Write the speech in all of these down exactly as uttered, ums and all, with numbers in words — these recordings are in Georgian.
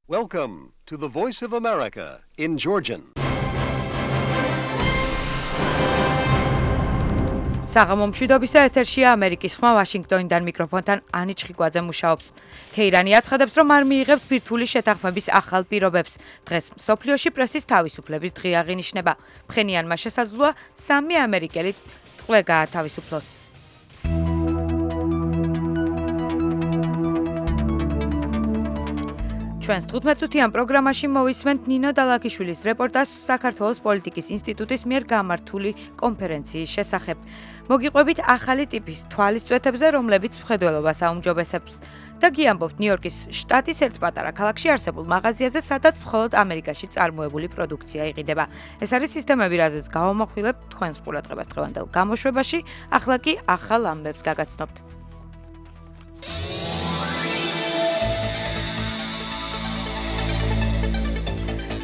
Welcome to the Voice of America in Georgian. საღამო მშვიდობისა ეთერშია ამერიკის ხმა ვაშინგტონიდან მიკროფონთან ანი ჩხიკვაძე მუშაობს. თეირანი აცხადებს, რომ არ მიიღებს ბირთვული შეთანხმების ახალ პირობებს. დღეს მსოფლიოში პრესის თავისუფლების დღე აღინიშნება. ფხენიანმა შესაძლოა სამი ამერიკელი ტყვე გაათავისუფლოს. ჩვენს თხუთმეტ-წუთიან პროგრამაში მოვისმენთ ნინო დალაქიშვილის რეპორტაჟს საქართველოს პოლიტიკის ინსტიტუტის მიერ გამართული კონფერენციის შესახებ. მოგიყვებით ახალი ტიპის თვალისწვეთებზე, რომლებიც მხედველობას აუმჯობესებს. და გიამბობთ ნიუ-იორკის შტატის ერთ პატარა ქალაქში არსებულ მაღაზიაზე, სადაც მხოლოდ ამერიკაში წარმოებული პროდუქცია იყიდება. ეს არის სისტემები, რაზეც გავამახვილებთ თქვენს ყურადღებას დღევანდელ გამოშვებაში, ახლა კი ახალ ამბებს გაგაცნობთ.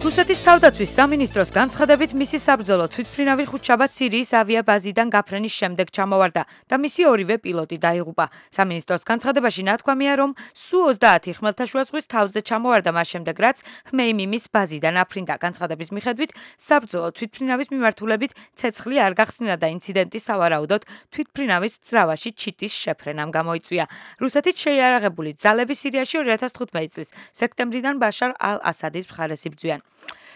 რუსეთის თავდაცვის სამინისტროს განცხადებით მისი საბრძოლო თვითმფრინავი ხუთშაბათ სირიის ავიაბაზიდან გაფრენის შემდეგ ჩამოვარდა და მისი ორივე პილოტი დაიღუპა. სამინისტროს განცხადებაში ნათქვამია, რომ სუ ოცდაათი ხმელთაშუა ზღვის თავზე ჩამოვარდა მას შემდეგ, რაც ხმეიმიმის ბაზიდან აფრინდა. განცხადების მიხედვით, საბრძოლო თვითმფრინავის მიმართულებით ცეცხლი არ გახსნილა და ინციდენტი სავარაუდოდ თვითმფრინავის ძრავაში ჩიტის შეფრენამ გამოიწვია. რუსეთით შეიარაღებული ძალები სირიაში ორი ათას თხუთმეტი წლის სექტემბრიდან ბაშარ ალ-ასადის მხარეს იბრძვიან.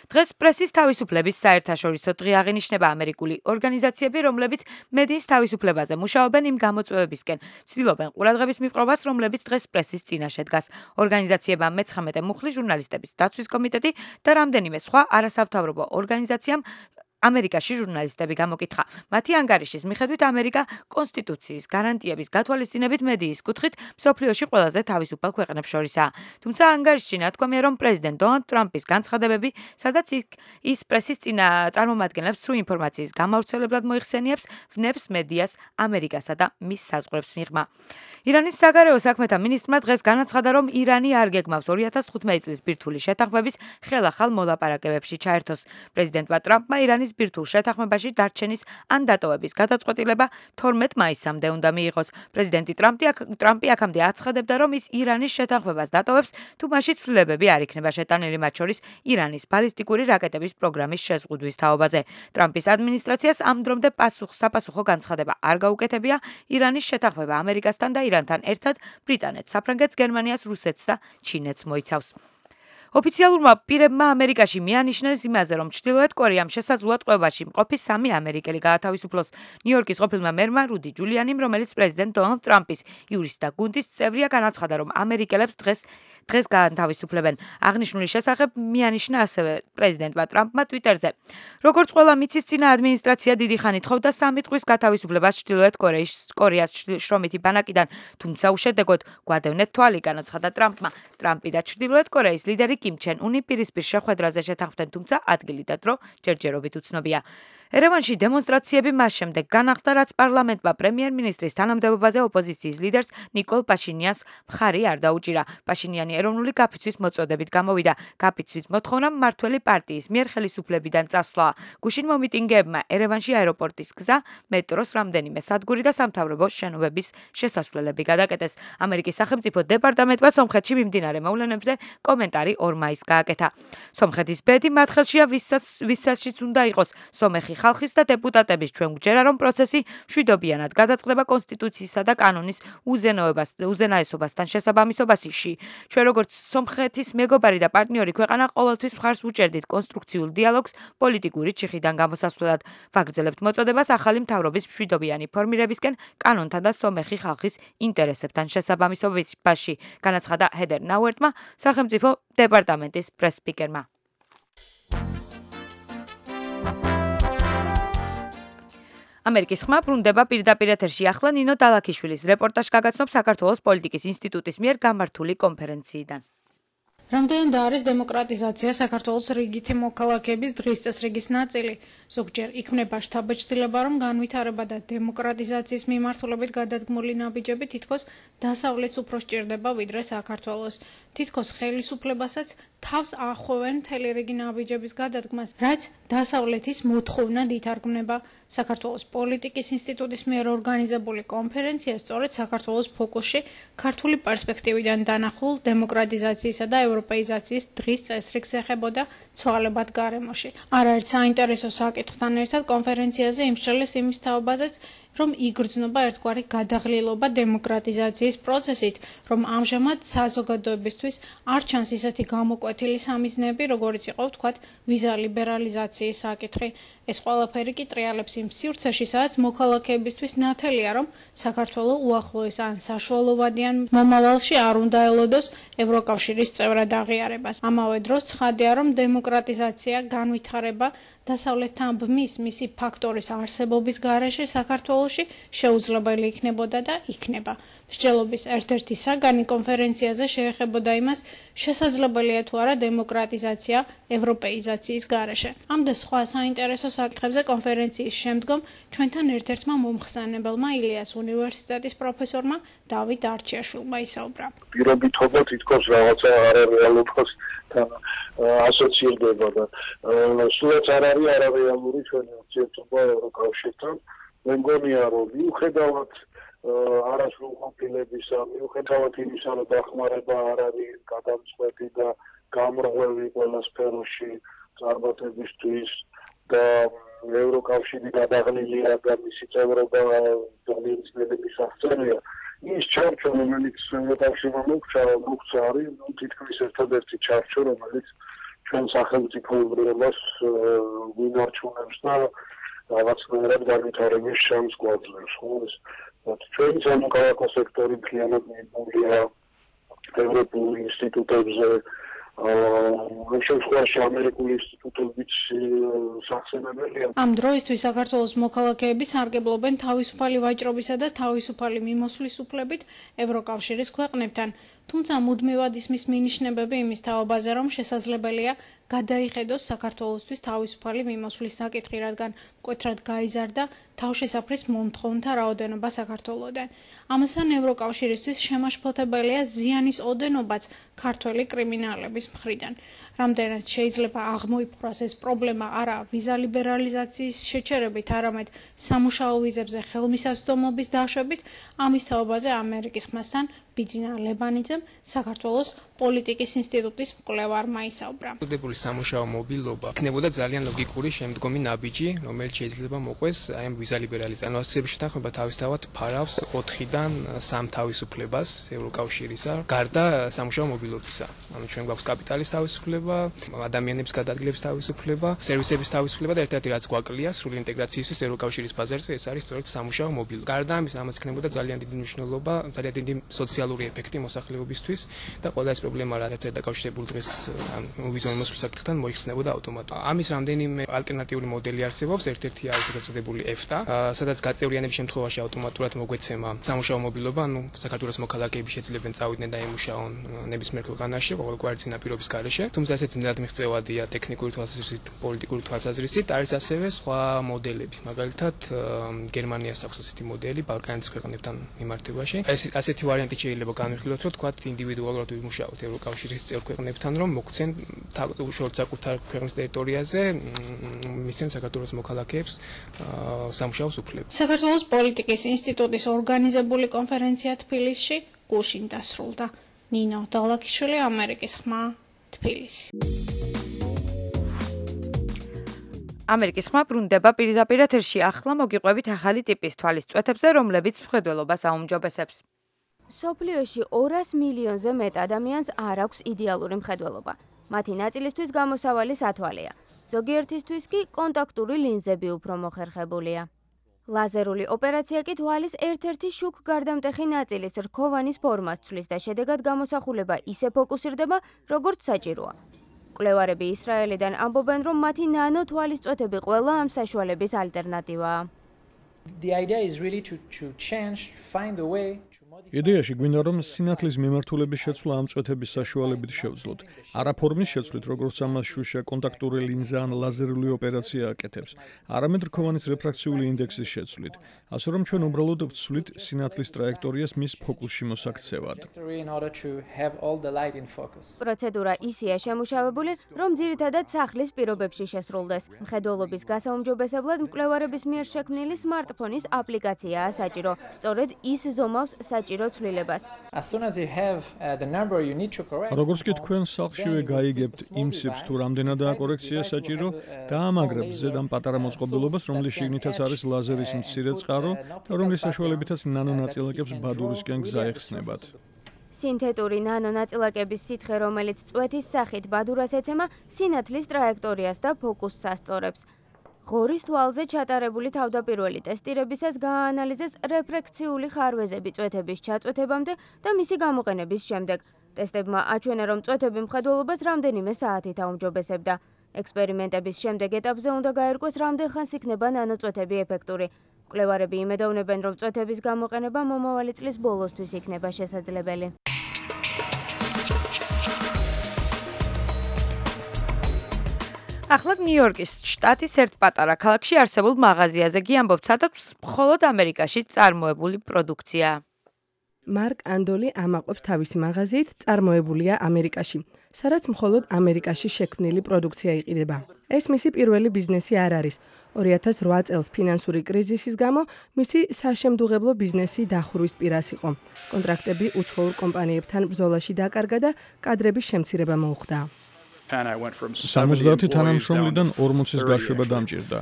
დღეს პრესის თავისუფლების საერთაშორისო დღე აღინიშნება. ამერიკული ორგანიზაციები, რომლებიც მედიის თავისუფლებაზე მუშაობენ, იმ გამოწვევებისკენ ცდილობენ ყურადღების მიპყრობას, რომლებიც დღეს პრესის წინაშე დგას. ორგანიზაციებმა მეცხრამეტე მუხლი, ჟურნალისტების დაცვის კომიტეტი და რამდენიმე სხვა არასამთავრობო ორგანიზაციამ ამერიკაში ჟურნალისტები გამოკითხა. მათი ანგარიშის მიხედვით, ამერიკა კონსტიტუციის გარანტიების გათვალისწინებით მედიის კუთხით მსოფლიოში ყველაზე თავისუფალ ქვეყნებს შორისაა. თუმცა ანგარიშში ნათქვამია, რომ პრეზიდენტ დონალდ ტრამპის განცხადებები, სადაც ის პრესის წინა წარმომადგენლებს სრულ ინფორმაციის გამავრცელებლად მოიხსენიებს, ვნებს მედიას ამერიკასა და მის საზღვრებს მიღმა. ირანის საგარეო საქმეთა მინისტრმა დღეს განაცხადა, რომ ირანი არ გეგმავს ორი ათას თხუთმეტი წლის ბირთვული შეთანხმების ხელახალ მოლაპარაკებებში ჩაერთოს. პრეზიდენტმა ტრამპმა ირანის ბირთვულ შეთანხმებაში დარჩენის ან დატოვების გადაწყვეტილება თორმეტ მაისამდე უნდა მიიღოს. პრეზიდენტი ტრამპი აქამდე აცხადებდა, რომ ის ირანის შეთანხმებას დატოვებს, თუ მასში ცვლილებები არ იქნება შეტანილი, მათ შორის ირანის ბალისტიკური რაკეტების პროგრამის შეზღუდვის თაობაზე. ტრამპის ადმინისტრაციას ამ დრომდე საპასუხო განცხადება არ გაუკეთებია. ირანის შეთანხმება ამერიკასთან და ირანთან ერთად ბრიტანეთს, საფრანგეთს, გერმანიას, რუსეთს და ჩინეთს მოიცავს. ოფიციალურმა პირებმა ამერიკაში მიანიშნეს იმაზე, რომ ჩრდილოეთ კორეამ შესაძლოა ტყვეობაში მყოფი სამი ამერიკელი გაათავისუფლოს. ნიუ-იორკის ყოფილმა მერმა რუდი ჯულიანიმ, რომელიც პრეზიდენტ დონალდ ტრამპის იურისტთა გუნდის წევრია, განაცხადა, რომ ამერიკელებს დღეს დღეს გაათავისუფლებენ. აღნიშნული შესახებ მიანიშნა ასევე პრეზიდენტმა ტრამპმა ტვიტერზე. როგორც ყველა მიწისწინა ადმინისტრაცია დიდი ხანი თხოვდა სამი ტყვის გათავისუფლებას ჩრდილოეთ კორეის კორეას შრომითი ბანაკიდან, თუმცა უშედეგოდ გვადევნეთ თვალი, განაცხადა ტრამპმა. ტრამპი და ჩრდილოეთ კორეის ლიდერი კიმ ჩენ უნი პირისპირ შეხვედრაზე შეთანხმდნენ, თუმცა ადგილი და დრო ჯერჯერობით უცნობია. ერევანში დემონსტრაციები მას შემდეგ განახლდა, რაც პარლამენტმა პრემიერ-მინისტრის თანამდებობაზე ოპოზიციის ლიდერს ნიკოლ პაშინიანს მხარი არ დაუჭირა. პაშინიანი ეროვნული გაფიცვის მოწოდებით გამოვიდა. გაფიცვის მოთხოვნა მმართველი პარტიის მიერ ხელისუფლებიდან წასვლა. გუშინ მომიტინგეებმა ერევანში აეროპორტის გზა, მეტროს რამდენიმე სადგური და სამთავრობო შენობების შესასვლელები გადაკეტეს. ამერიკის სახელმწიფო დეპარტამენტმა სომხეთში მიმდინარე მოვლენებზე კომენტარი ორ მაისს გააკეთა. სომხეთის ბედი მათ ხელშია, ვისაც უნდა იყოს სომეხი ხალხის და დეპუტატების. ჩვენ გვჯერა, რომ პროცესი მშვიდობიანად გადაწყდება კონსტიტუციისა და კანონის უზენაესობასთან შესაბამისობაში. ჩვენ როგორც სომხეთის მეგობარი და პარტნიორი ქვეყანა ყოველთვის მხარს ვუჭერდით კონსტრუქციულ დიალოგს პოლიტიკური ჩიხიდან გამოსასვლელად. ვაგრძელებთ მოწოდებას ახალი მთავრობის მშვიდობიანი ფორმირებისკენ კანონთან და სომეხი ხალხის ინტერესებთან შესაბამისობაში, განაცხადა ჰედერ ნაუერტმა, სახელმწიფო დეპარტამენტის პრეს-სპიკერმა. ამერიკის ხმა ბრუნდება პირდაპირ ეთერში. ახლა ნინო დალაქიშვილის რეპორტაჟს გაგაცნობ საქართველოს პოლიტიკის ინსტიტუტის მიერ გამართული კონფერენციიდან. რამდენად არის დემოკრატიზაცია საქართველოს რიგითი მოქალაქეების დღის წესრიგის ნაწილი? ზოგჯერ იქმნება შთაბეჭდილება, რომ განვითარება და დემოკრატიზაციის მიმართულებით გადადგმული ნაბიჯები თითქოს დასავლეთს უფრო სჭირდება, ვიდრე საქართველოს. თითქოს ხელისუფლებასაც თავს ახვევენ მთელი რიგი ნაბიჯების გადადგმას, რაც დასავლეთის მოთხოვნად ითარგმნება. საქართველოს პოლიტიკის ინსტიტუტის მიერ ორგანიზებული კონფერენცია სწორედ საქართველოს ფოკუსში ქართული პერსპექტივიდან დანახულ დემოკრატიზაციისა და ევროპეიზაციის დღის წესრიგს ეხებოდა ცვალებად გარემოში. არაერთ საინტერესო საკითხთან ერთად კონფერენციაზე იმსჯელეს იმის თაობაზეც, რომ იგრძნობა ერთგვარი გადაღლილობა დემოკრატიზაციის პროცესით, რომ ამჟამად საზოგადოებისთვის არ ჩანს ისეთი გამოკვეთილი სამიზნეები, როგორიც იყო ვთქვათ ვიზა ლიბერალიზაციის საკითხი. ეს ყველაფერი კი ტრიალებს იმ სივრცეში, სადაც მოქალაქეებისთვის ნათელია, რომ საქართველოს უახლოეს ან საშუალოვადიან მომავალში არ უნდა ელოდოს ევროკავშირის წევრად აღიარებას. ამავე დროს ცხადია, რომ დემოკრატიზაცია, განვითარება დასავლეთთან ბმის მისი ფაქტორის არსებობის გარეშე საქართველოში შეუძლებელი იქნებოდა და იქნება. მსჯელობის ერთ-ერთი საგანი კონფერენციაზე შეეხებოდა იმას, შესაძლებელია თუ არა დემოკრატიზაცია ევროპეიზაციის გარეშე. ამ და სხვა საინტერესო საკითხებზე კონფერენციის შემდგომ ჩვენთან ერთ-ერთმა მომხსენებელმა ილიას უნივერსიტეტის პროფესორმა დავით არჩიაშვილმა ისაუბრა. პირობითობა თითქოს რაღაცა არარეალობასთან ასოცირდება და სულაც არ არის არარეალური ჩვენი ურთიერთობა ევროკავშირთან. მე მგონია, რომ მიუხედავად არასრულყოფილებისა, მიუხედავად იმისა, რომ დახმარება არ არის გადამწყვეტი და გამრღვევი ყველა სფეროში წარმატებისთვის და ევროკავშირი გადაღლილია და მისი წევრობა ძალიან ძნელი მისაღწევია. ის ჩარჩო, რომელიც ევროკავშირმა მოგვცა, მოგვცა არის თითქმის ერთადერთი ჩარჩო, რომელიც ჩვენ სახელმწიფოებრიობას გვინარჩუნებს და რაღაცნაირად განვითარების შანსს გვაძლევს. ჩვენი სამოქალაქო სექტორი მთლიანად მიბმულია ევროპულ ინსტიტუტებზე, ამ შემთხვევაში ამერიკული ინსტიტუტებიც სახსენებელია. ამ დროისთვის საქართველოს მოქალაქეები სარგებლობენ თავისუფალი ვაჭრობისა და თავისუფალი მიმოსვლის უფლებით ევროკავშირის ქვეყნებთან. თუმცა მუდმივად ისმის მინიშნებები იმის თაობაზე, რომ შესაძლებელია გადაიხედოს საქართველოსთვის თავისუფალი მიმოსვლის საკითხი, რადგან მკვეთრად გაიზარდა თავშესაფრის მომთხოვნთა რაოდენობა საქართველოდან. ამასთან ევროკავშირისთვის შემაშფოთებელია ზიანის ოდენობაც ქართველი კრიმინალების მხრიდან. რამდენად შეიძლება აღმოიფხვრას ეს პრობლემა არა ვიზა ლიბერალიზაციის შეჩერებით, არამედ სამუშაო ვიზებზე ხელმისაწვდომობის დაშვებით, ამის თაობაზე ამერიკის ხმასთან ბიძინა ლებანიძემ საქართველოს პოლიტიკის ინსტიტუტის მკვლევარმა ისაუბრა. მოდებული სამუშაო მობილობა იქნებოდა ძალიან ლოგიკური შემდგომი ნაბიჯი, რომელიც შეიძლება მოყვეს აი ამ ვიზა ლიბერალიზაციის ანონსების შეთანხმება თავისთავად ფარავს ოთხიდან სამ თავისუფლებას ევროკავშირისა, გარდა სამუშაო მობილობისა. ანუ ჩვენ გვაქვს კაპიტალის თავისუფლება, ადამიანების გადაადგილების თავისუფლება, სერვისების თავისუფლება და ერთ-ერთი რაც გვაკლია სრული ინტეგრაციისთვის ევროკავშირის ბაზარზე, ეს არის სწორედ სამუშაო მობილობა. გარდა ამის, ამას იქნებოდა ძალიან დიდი მნიშვნელობა, ძალიან დიდი სოციალური ეფექტი მოსახლეობისთვის და ყველა ეს პრობლემა რაც ერთ დაკავშირებული დღეს ვიზა მიმოსვლის საკითხთან მოიხსნებოდა ავტომატურად. ამის რამდენიმე ალტერნატიული მოდელი არსებობს, ერთ-ერთი არის გაწოდებული EFTA, სადაც გაწევრიანების შემთხვევაში ავტომატურად მოგვეცემა სამუშაო მობილობა, ანუ საქართველოს მოქალაქეები შეძლებენ წავიდნენ და ემუშაონ ნებისმიერ ქვეყანაში, ყოველგვარი წინაპირობის გარეშე. თუმცა ესეც მუდმივად მიღწევადია ტექნიკური თვალსაზრისით, პოლიტიკური თვალსაზრისით, არის ასევე სხვა მოდელები. მაგალითად, გერმანიას აქვს ასეთი მოდელი ბალკანეთის ქვეყნებთან მიმართებაში. ეს ასეთი ვარიანტი შეიძლება განვიხილოთ, რომ თქვათ ინდივიდუალურად ვიმუშაოთ ევროკავშირის წევრ ქვეყნებთან, რომ მოგცენ შორტ საკუთარ ქვეყნის ტერიტორიაზე მისცენ საქართველოს მოქალაქეებს სამუშაოს უფლება. საქართველოს პოლიტიკის ინსტიტუტის ორგანიზებული კონფერენცია თბილისში გუშინ დასრულდა. ნინო დალაკიშვილი, ამერიკის ხმა, თბილისი. ამერიკის ხმა ბრუნდება პირდაპირ ეთერში. ახლა მოგიყვებით ახალი ტიპის თვალისწვეთებზე, რომლებიც მხედველობას აუმჯობესებს. მსოფლიოში ორას მილიონზე მეტ ადამიანს არ აქვს იდეალური მხედველობა. მათი ნაწილისთვის გამოსავალი სათვალეა. ზოგიერთისთვის კი კონტაქტური ლინზები უფრო მოხერხებულია. ლაზერული ოპერაცია კი თვალის ერთ-ერთი შუქ გარდამტეხი ნაწილის რქოვანის ფორმას ცვლის და შედეგად გამოსახულება ისე ფოკუსირდება, როგორც საჭიროა. მკვლევარები ისრაელიდან ამბობენ, რომ მათი ნანო თვალისწვეთები ყველა ამ საშუალების ალტერნატივაა. The idea is really to to change, to find a way იდეაში გვინდა რომ სინათლის მიმართულების შეცვლა ამ წვეთების საშუალებით შევძლოთ. არა ფორმის შეცვლით, როგორც ამას შუშა კონტაქტური ლინზა ან ლაზერული ოპერაცია აკეთებს, არამედ რქოვანის რეფრაქციული ინდექსის შეცვლით. ასე რომ ჩვენ უბრალოდ ვცვლით სინათლის ტრაექტორიას მის ფოკუსში მოსაქცევად. პროცედურა ისეა შემუშავებული, რომ ძირითადად სახლის პირობებში შესრულდეს. მხედველობის გასაუმჯობესებლად მკვლევარების მიერ შექმნილი სმარტფონის აპლიკაციაა საჭირო. სწორედ ის ზომავს საჭირო ცვლილებას. როგორც კი თქვენ სახლშივე გაიგებთ იმ სიფს თუ რამდენადაა კორექცია საჭირო, დაამაგრებთ ზედ ამ პატარა მოწყობილობას, რომლის შიგნითაც არის ლაზერის მცირე წყარო და რომლის საშუალებითაც ნანონაწილაკებს ბადურისკენ გზა ეხსნებათ. სინთეტური ნანონაწილაკების სითხე, რომელიც წვეთის სახით ბადურას ეცემა, სინათლის ტრაექტორიას და ფოკუსს ასწორებს. ღორის თვალზე ჩატარებული თავდაპირველი ტესტირებისას გააანალიზეს რეფრექციული ხარვეზები წვეთების ჩაწვეთებამდე და მისი გამოყენების შემდეგ. ტესტებმა აჩვენა, რომ წვეთები მხედველობას რამდენიმე საათით აუმჯობესებდა. ექსპერიმენტების შემდეგ ეტაპზე უნდა გაერკვეს, რამდენ ხანს იქნება ნანოწვეთები ეფექტური. მკვლევარები იმედოვნებენ, რომ წვეთების გამოყენება მომავალი წლის ბოლოსთვის იქნება შესაძლებელი. ახლა ნიუ-იორკის შტატის ერთ პატარა ქალაქში არსებულ მაღაზიაზე კი ამბობთ, სადაც მხოლოდ ამერიკაში წარმოებული პროდუქცია. მარკ ანდოლი ამაყობს თავისი მაღაზიით წარმოებულია ამერიკაში, სადაც მხოლოდ ამერიკაში შექმნილი პროდუქცია იყიდება. ეს მისი პირველი ბიზნესი არ არის. ორი ათას რვა წელს ფინანსური კრიზისის გამო მისი საშემდუღებლო ბიზნესი დახურვის პირას იყო. კონტრაქტები უცხოურ კომპანიებთან ბრძოლაში დაკარგა და კადრების შემცირება მოუხდა. სამოცდაათი თანამშრომლიდან ორმოცის გაშვება დამჭირდა.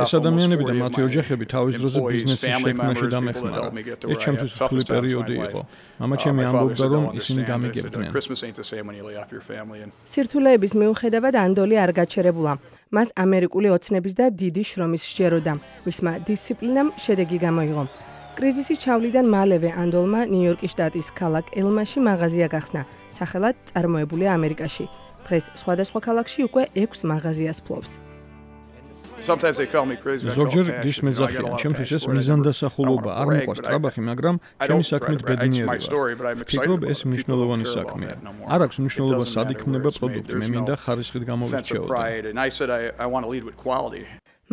ეს ადამიანები და მათი ოჯახები თავის დროზე ბიზნესის შექმნაში დამეხმარა. ეს ჩემთვის რთული პერიოდი იყო. მამაჩემი ამბობდა, რომ ისინი გამიგებდნენ. სირთულეების მიუხედავად ანდოლი არ გაჩერებულა. მას ამერიკული ოცნების და დიდი შრომის სჯეროდა. მისმა დისციპლინამ შედეგი გამოიღო. კრიზისის ჩავლიდან მალევე ანდოლმა ნიუ-იორკის შტატის ქალაქ ელმაში მაღაზია გახსნა, სახელად წარმოებულია ამერიკაში. დღეს სხვადასხვა ქალაქში უკვე ექვს მაღაზიას ფლობს. ზოგჯერ გის მეძახიან, ჩემთვის ეს მიზანდასახულობა არ მიყვარს ტრაბახი, მაგრამ ჩემი საქმით ბედნიერია. ვფიქრობ, ეს მნიშვნელოვანი საქმეა. არ აქვს მნიშვნელობა სად იქმნება პროდუქტი, მე მინდა ხარისხით გამოვირჩეოდე.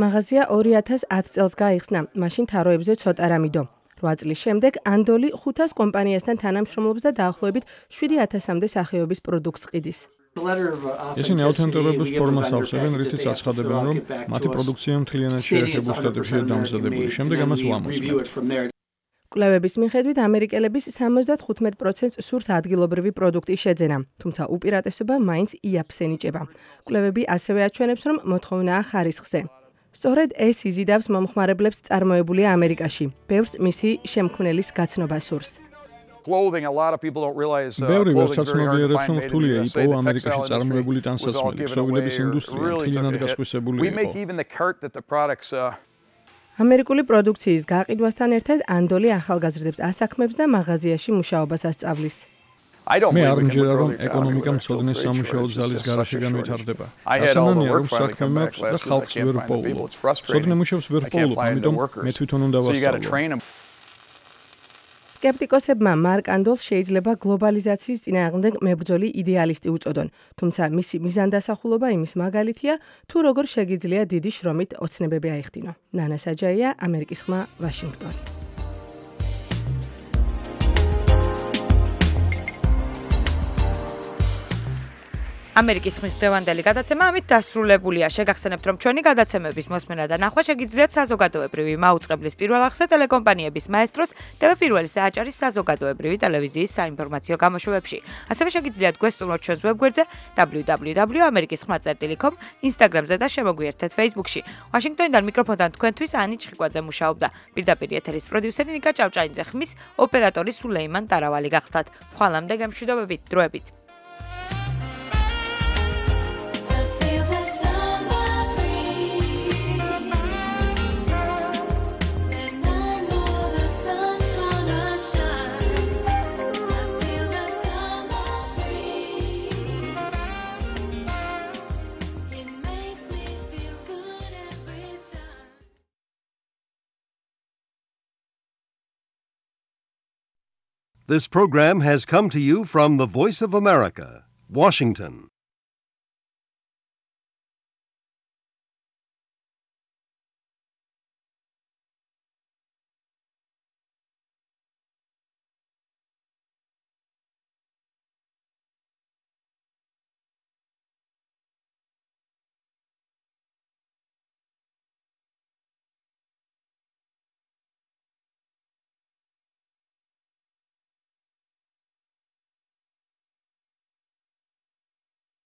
მაღაზია ორი ათას ათ წელს გაიხსნა, მაშინ თაროებზე ცოტა რა მიდო. რვა წლის შემდეგ ანდოლი ხუთას კომპანიასთან თანამშრომლობს და დაახლოებით შვიდი ათასამდე სახეობის პროდუქტს ყიდის. ისინი აუთენტურობის ფორმას ავსებენ, რითიც აცხადებენ, რომ მათი პროდუქცია მთლიანად შეერთებულ შტატებშია დამზადებული. შემდეგ ამას ვამოწმებთ. კვლევების მიხედვით ამერიკელების სამოცდათხუთმეტ პროცენტს სურს ადგილობრივი პროდუქტი შეძენა, თუმცა უპირატესობა მაინც იაფს ენიჭება. კვლევები ასევე აჩვენებს, რომ მოთხოვნაა ხარისხზე. სწორედ ეს იზიდავს მომხმარებლებს წარმოებულია ამერიკაში. ბევრს მისი შემქმნელის გაცნობა სურს. ბევრი ვერც აცნობიერებს, რომ რთულია იპოვო ამერიკაში წარმოებული ტანსაცმელი, ქსოვილების ინდუსტრია მთლიანად გასხვისებული იყო. ამერიკული პროდუქციის გაყიდვასთან ერთად ანდოლი ახალგაზრდებს ასაქმებს და მაღაზიაში მუშაობას ასწავლის. მე არ მჯერა, რომ ეკონომიკა მცოდნეს სამუშაო ძალის გარშეგან ვითარდება. ასანანია, რომ საქმე მაქვს და ხალხს ვერ პოულობ. მცოდნე მუშებს ვერ პოულობ, ამიტომ მე თვითონ უნდა ვასწავლო. სკეპტიკოსებმა მარკ ანდოლს შეიძლება გლობალიზაციის წინააღმდეგ მებრძოლი იდეალისტი უწოდონ, თუმცა მისი მიზანდასახულობა იმის მაგალითია, თუ როგორ შეგიძლია დიდი შრომით ოცნებები აიხდინო. ნანა საჯაია, ამერიკის ხმა, ვაშინგტონი. ამერიკის ხმის დღევანდელი გადაცემა ამით დასრულებულია. შეგახსენებთ, რომ ჩვენი გადაცემების მოსმენა და ნახვა შეგიძლიათ საზოგადოებრივი მაუწყებლის პირველ არხზე ტელეკომპანიების მაესტროს ტევ პირველის და აჭარის საზოგადოებრივი ტელევიზიის საინფორმაციო გამოშვებებში. ასევე შეგიძლიათ გვესტუმროთ ჩვენს ვებგვერდზე დაბლიუ დაბლიუ დაბლიუ წერტილი ამერიკის ხმა წერტილი კომ, ინსტაგრამზე და შემოგვიერთეთ Facebook-ში. ვაშინგტონიდან მიკროფონთან თქვენთვის ანი ჩხიკვაძე მუშაობდა. პირდაპირ ეთერის პროდიუსერი ნიკა ჭავჭაინძე, ხმის ოპერატორი სულეიმან ტარავალი გახლდათ. ხვალამდე გემშვიდობებით, დროებით. This program has come to you from the Voice of America, Washington.